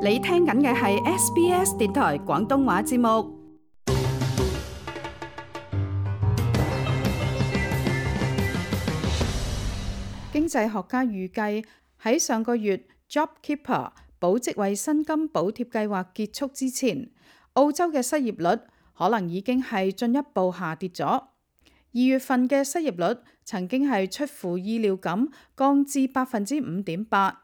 你聽緊嘅係 SBS 電台廣東話節目。經濟學家預計喺上個月 JobKeeper 保職位薪金補貼計劃結束之前，澳洲嘅失業率可能已經係進一步下跌咗。2月份嘅失業率曾經係出乎意料咁降至 5.8%，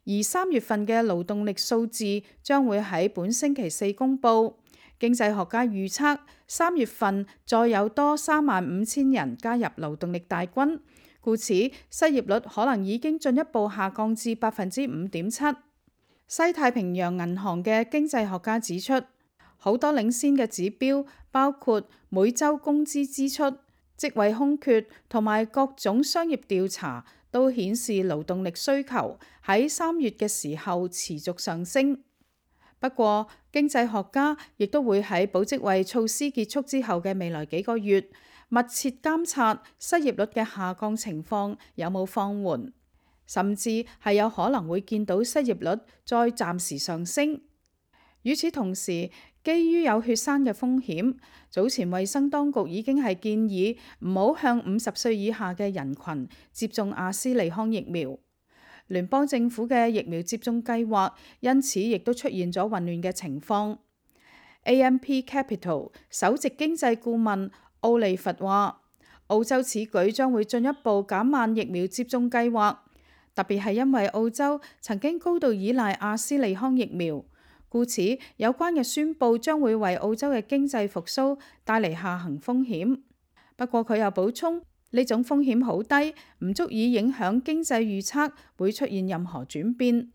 而3月份嘅勞動力數字將會喺本星期四公佈。經濟學家預測3月份再有多35,000人加入勞動力大軍，故此失業率可能已經進一步下降至 5.7%。西太平洋銀行嘅經濟學家指出，好多領先嘅指標，包括每週工資支出、職位空缺同埋各種商業調查，都顯示勞動力需求喺3月嘅時候持續上升。不過，經濟學家亦都會喺保職位措施結束之後嘅未來幾個月，密切監察失業率嘅下降情況有冇放緩，甚至係有可能會見到失業率再暫時上升。與此同時，基於有血栓嘅風險，早前衛生當局已經係建議唔好向50歲以下嘅人群接種阿斯利康疫苗。聯邦政府嘅疫苗接種計劃因此亦都出現咗混亂嘅情況。AMP Capital 首席經濟顧問奧利弗話，澳洲此舉將會進一步減慢疫苗接種計劃，特別係因為澳洲曾經高度依賴阿斯利康疫苗。故此，有關嘅宣佈將會為澳洲嘅經濟復甦帶嚟下行風險。不過佢又補充，呢種風險好低，唔足以影響經濟預測會出現任何轉變。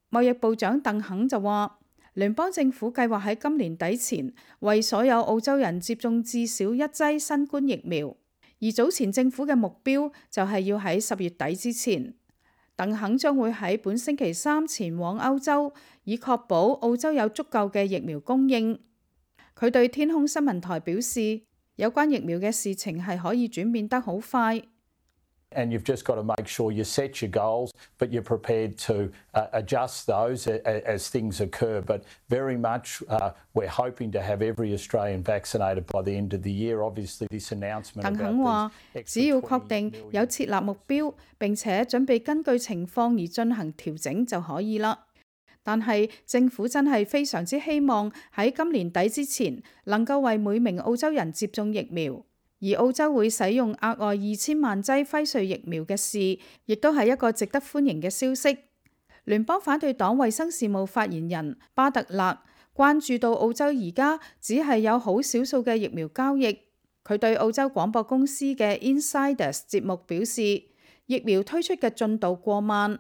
貿易部長鄧肯就話，聯邦政府計劃喺今年底前為所有澳洲人接種至少1劑新冠疫苗，而早前政府嘅目標就係要喺10月底之前。鄧肯將會喺本星期三前往歐洲，以確保澳洲有足夠嘅疫苗供應。佢對天空新聞台表示，有關疫苗嘅事情係可以轉變得好快。And you've just got to make sure you set your goals, but you're prepared to adjust those as things occur. But very much we're hoping to have every Australian vaccinated by the end of the year. Obviously, this announcement about 鄧肯話，只要確定有設立目標，並且準備根據情況而進行調整就可以啦。但係政府真係非常之希望喺今年底之前能夠為每名澳洲人接種疫苗。而澳洲會使用額外2000萬劑輝瑞疫苗嘅事，亦都係一個值得歡迎嘅消息。聯邦反對黨衛生事務發言人巴特勒關注到澳洲而家只係有好少數嘅疫苗交易。佢對澳洲廣播公司嘅 Insiders 節目表示，疫苗推出嘅進度過慢。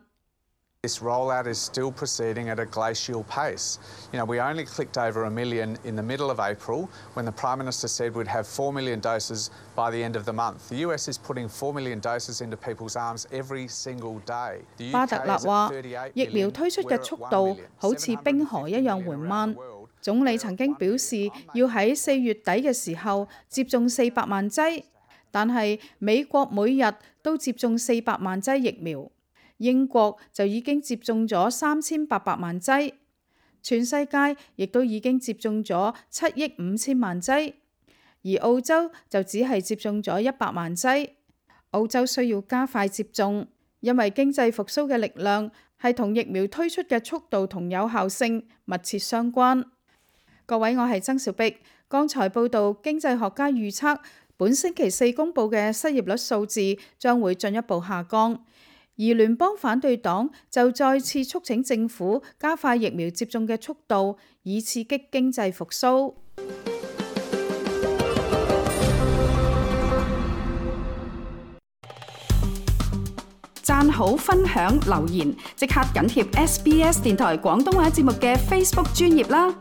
This rollout is still proceeding at a glacial pace. You know, we only clicked over 1 million in the middle of April when the Prime Minister said we'd have 4 million doses by the end of the month. The US is putting 4 million doses into people's arms every single day. 巴特勒話，疫苗推出嘅速度好似冰河一樣緩慢。總理曾經表示要喺4月底嘅時候接種400萬劑，但係美國每日都接種400萬劑疫苗。英國就已經接種咗3800萬劑，全世界亦都已經接種咗7億5千萬劑，而澳洲就只係接種咗100萬劑。澳洲需要加快接種，因為經濟復甦嘅力量係同疫苗推出嘅速度同有效性密切相關。各位，我係曾兆碧。剛才報道經濟學家預測本星期四公佈嘅失業率數字將會進一步下降。而聯邦反對黨就再次促請政府加快疫苗接種嘅速度，以刺激經濟復甦。讚好、分享、留言，即刻緊貼SBS 電台廣東話節目嘅 Facebook 專頁啦！